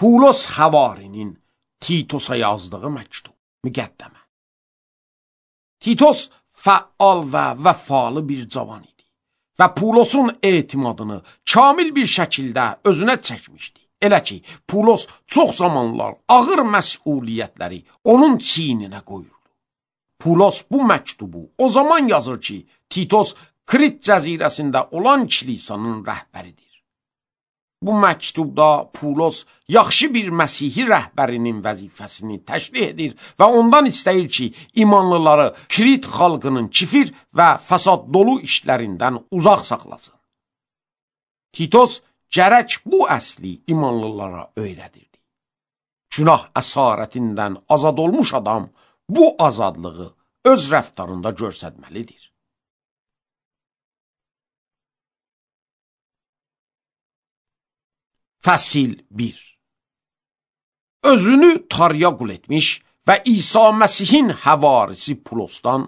Pulos Həvarinin Titosa yazdığı məktub, müqəddəmə. Titos fəal və vəfalı bir cavan idi və Pulosun etimadını kamil bir şəkildə özünə çəkmişdi. Elə ki, Pulos çox zamanlar ağır məsuliyyətləri onun çiyninə qoyurdu. Pulos bu məktubu o zaman yazır ki, Titos Krit cəzirəsində olan kilisanın rəhbəridir. Bu məktubda Pulos yaxşı bir Məsihi rəhbərinin vəzifəsini təşrih edir və ondan istəyir ki, imanlıları Krit xalqının kifir və fəsad dolu işlərindən uzaq saxlasın. Titos gərək bu əsli imanlılara öyrədirdi. Günah əsarətindən azad olmuş adam bu azadlığı öz rəftarında göstərməlidir. Fəsil 1. Özünü Tarıya qul etmiş və İsa Məsihin həvarisi Pulosdan,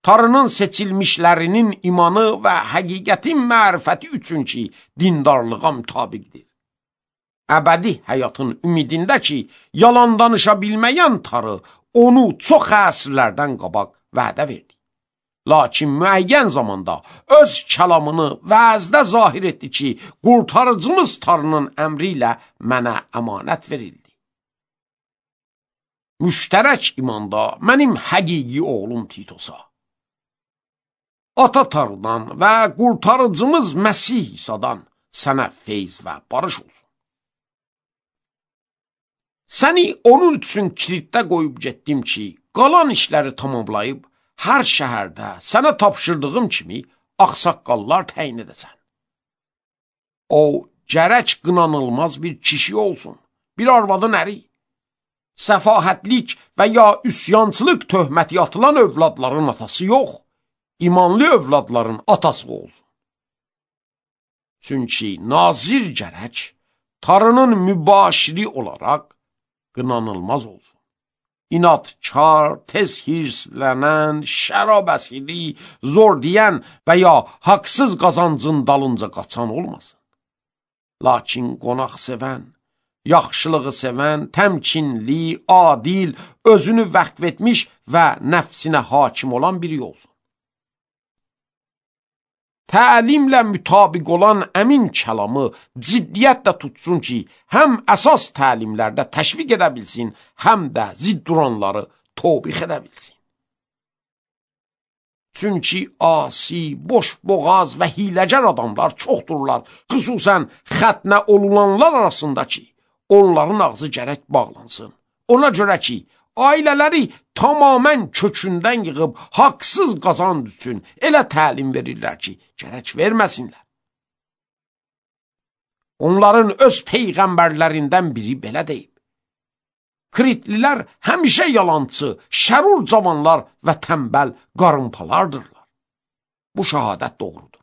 Tarının seçilmişlərinin imanı və həqiqətin mərifəti üçün ki, dindarlığa mütabiqdir. Əbədi həyatın ümidində ki, yalan danışa bilməyən Tarı onu çox əsrlərdən qabaq vədə verdi. Lakin müəyyən zamanda öz kəlamını vəzdə zahir etdi ki, qurtarıcımız Tarının əmri ilə mənə əmanət verildi. Müştərək imanda mənim həqiqi oğlum Titosa, Ata Tarıdan və qurtarıcımız Məsih İsadan sənə feyz və barış olsun. Səni onun üçün Kritdə qoyub getdim ki, qalan işləri tamamlayıb, hər şəhərdə sənə tapşırdığım kimi ağsaqqallar təyin edəsən. O, gərək qınanılmaz bir kişi olsun, bir arvadın əri. Səfahətlik və ya üsyançılıq töhməti atılan övladların atası yox, imanlı övladların atası olsun. Çünki nazir gərək Tarının mübaşiri olaraq qınanılmaz olsun. İnatkar, tez hirslənən, şərab əsiri, zor deyən və ya haqsız qazancın dalınca qaçan olmasın. Lakin qonaq sevən, yaxşılığı sevən, təmkinli, adil, özünü vəqf etmiş və nəfsinə hakim olan biri olsun. Təlimlə mütabiq olan əmin kəlamı ciddiyyətlə tutsun ki, həm əsas təlimlərdə təşviq edə bilsin, həm də zidd duranları tobix edə bilsin. Çünki asi, boşboğaz və hiləgər adamlar çoxdurlar, xüsusən xətnə olulanlar arasında ki, onların ağzı gərək bağlansın. Ona görə ki, ailələri tamamən kökündən yığıb haqsız qazanc üçün elə təlim verirlər ki, gərək verməsinlər. Onların öz peyğəmbərlərindən biri belə deyib. Kritlilər həmişə yalancı, şərur cavanlar və tənbəl qarınpalardırlar. Bu şəhadət doğrudur.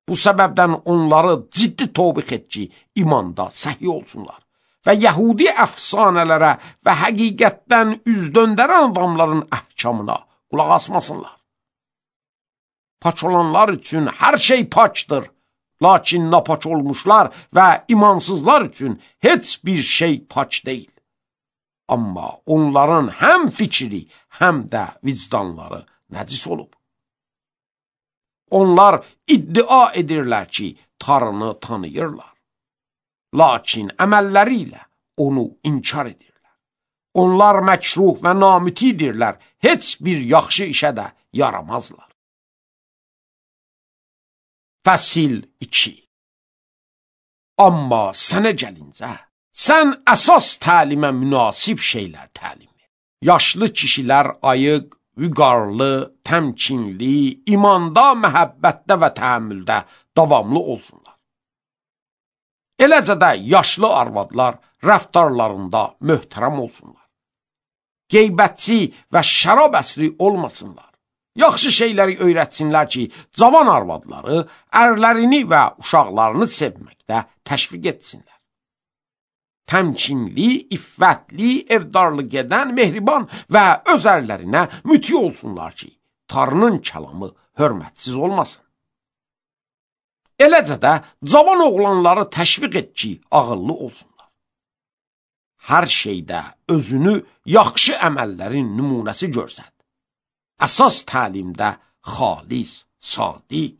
Bu səbəbdən onları ciddi tobix et ki, imanda səhi olsunlar. Və yəhudi əfsanələrə və həqiqətdən üz döndərən adamların əhkamına qulaq asmasınlar. Paç olanlar üçün hər şey paçdır, lakin napaç olmuşlar və imansızlar üçün heç bir şey paç deyil. Amma onların həm fikri, həm də vicdanları nəcis olub. Onlar iddia edirlər ki, Tarını tanıyırlar. Lakin əməlləri ilə onu inkar edirlər. Onlar məkruh və namütidirlər, heç bir yaxşı işə də yaramazlar. Fəsil 2. Amma sənə gəlincə, sən əsas təlimə münasib şeylər təlim et. Yaşlı kişilər ayıq, vüqarlı, təmkinli, imanda, məhəbbətdə və təhəmmüldə davamlı olsunlar. Eləcə də yaşlı arvadlar rəftarlarında möhtərəm olsunlar. Qeybətçi və şərab əsri olmasınlar. Yaxşı şeyləri öyrətsinlər ki, cavan arvadları ərlərini və uşaqlarını sevməkdə təşviq etsinlər. Təmkinli, iffətli, evdarlıq edən, mehriban və öz ərlərinə müti olsunlar ki, Tarının kəlamı hörmətsiz olmasın. Eləcə də cavan oğlanları təşviq et ki, ağıllı olsunlar. hər şeydə özünü yaxşı əməllərin nümunəsi görsət. Əsas təlimdə xalis, sadiq.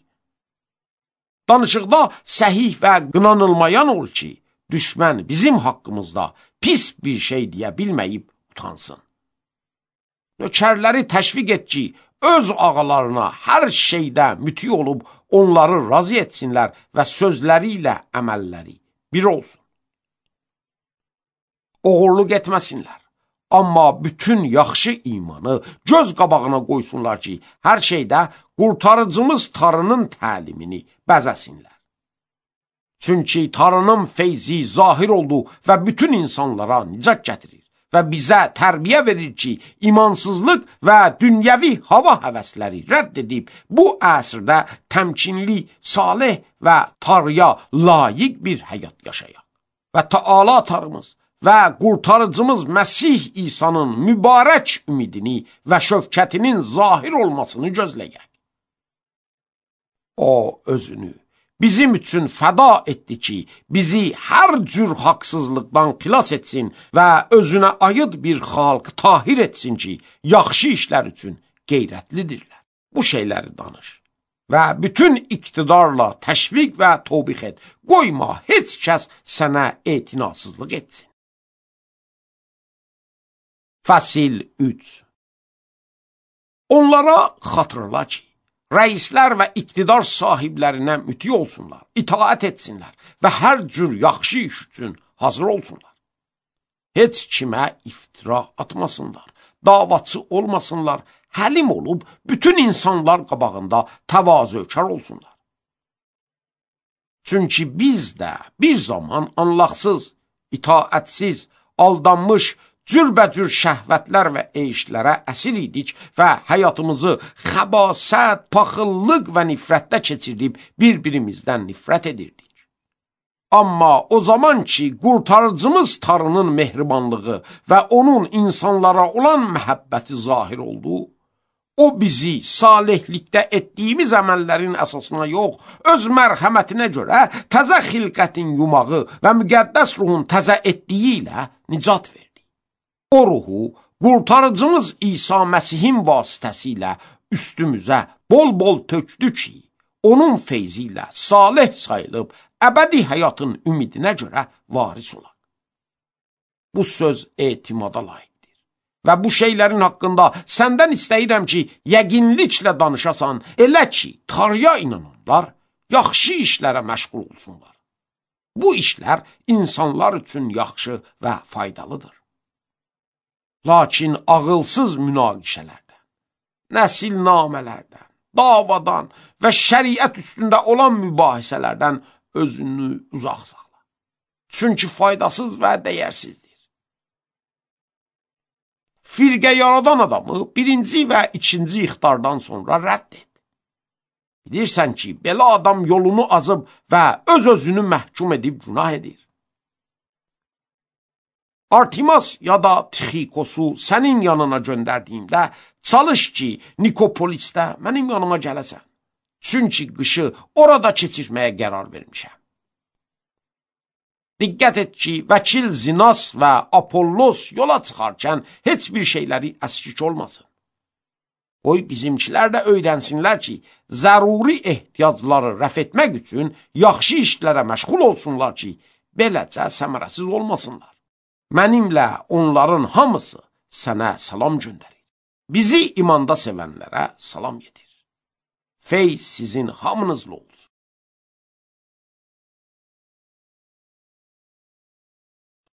Danışıqda səhih və qınanılmayan ol ki, düşmən bizim haqqımızda pis bir şey deyə bilməyib utansın. Nökərləri təşviq et ki, öz ağalarına hər şeydə müti olub onları razı etsinlər və sözləri ilə əməlləri bir olsun. Oğurluq etməsinlər. Amma bütün yaxşı imanı göz qabağına qoysunlar ki, hər şeydə qurtarıcımız Tanrının təlimini bəzəsinlər. Çünki Tanrının feyzi zahir oldu və bütün insanlara nicat gətirir və bizə tərbiyə verir ki, imansızlıq və dünyəvi hava həvəsləri rədd edib, bu əsrdə təmkinli, salih və Tanrıya layiq bir həyat yaşayaq. Və Taala Tanrımız və qurtarıcımız Məsih İsa'nın mübarək ümidini və şövkətinin zahir olmasını gözləyək. O özünü bizim üçün fəda etdi ki, bizi hər cür haqsızlıqdan xilas etsin və özünə aid bir xalq tahir etsin ki, yaxşı işlər üçün qeyrətlidirlər. Bu şeyləri danış və bütün iqtidarla təşviq və tövbix et. Qoyma heç kəs sənə etinasızlıq etsin. Fəsil 3. Onlara xatırla ki, rəislər və iqtidar sahiblərinə müti olsunlar, itaət etsinlər və hər cür yaxşı iş üçün hazır olsunlar. Heç kimə iftira atmasınlar, davaçı olmasınlar, həlim olub bütün insanlar qabağında təvazökar olsunlar. Çünki biz də bir zaman anlaqsız, itaətsiz, aldanmış, cürbəcür şəhvətlər və eyişlərə əsir idik və həyatımızı xəbasət, paxıllıq və nifrətdə keçirdib bir-birimizdən nifrət edirdik. Amma o zaman ki, qurtarıcımız Tanrının mehribanlığı və onun insanlara olan məhəbbəti zahir oldu, o bizi salihlikdə etdiyimiz əməllərin əsasına yox, öz mərhəmətinə görə təzə xilqətin yumağı və müqəddəs ruhun təzə etdiyi ilə nicat verdi. O ruhu qurtarıcımız İsa Məsihin vasitəsilə üstümüzə bol-bol tökdü ki, onun feyzi ilə salih sayılıb əbədi həyatın ümidinə görə varis olaq. Bu söz etimada layiqdir və bu şeylərin haqqında səndən istəyirəm ki, yəqinliklə danışasan, elə ki, Tanrıya inananlar yaxşı işlərə məşğul olsunlar. Bu işlər insanlar üçün yaxşı və faydalıdır. Lakin ağılsız münaqişələrdən, nəsilnamələrdən, davadan və şəriət üstündə olan mübahisələrdən özünü uzaq saxla. Çünki faydasız və dəyərsizdir. Firqə yaradan adamı birinci və ikinci ixtardan sonra rədd et. Bilirsən ki, belə adam yolunu azıb və öz-özünü məhkum edib günah edir. Artimas ya da Tixikosu sənin yanına göndərdiyimdə, çalış ki, Nikopolisdə mənim yanıma gələsən. Çünki qışı orada keçirməyə qərar vermişəm. Diqqət et ki, vəkil Zinas və Apollos yola çıxarkən heç bir şeyləri əskik olmasın. Qoy bizimkilər də öyrənsinlər ki, zəruri ehtiyacları rəf etmək üçün yaxşı işlərə məşğul olsunlar ki, beləcə səmərəsiz olmasınlar. Mənimlə onların hamısı sənə salam göndərir. Bizi imanda sevənlərə salam yetir. Feyz sizin hamınızla olsun.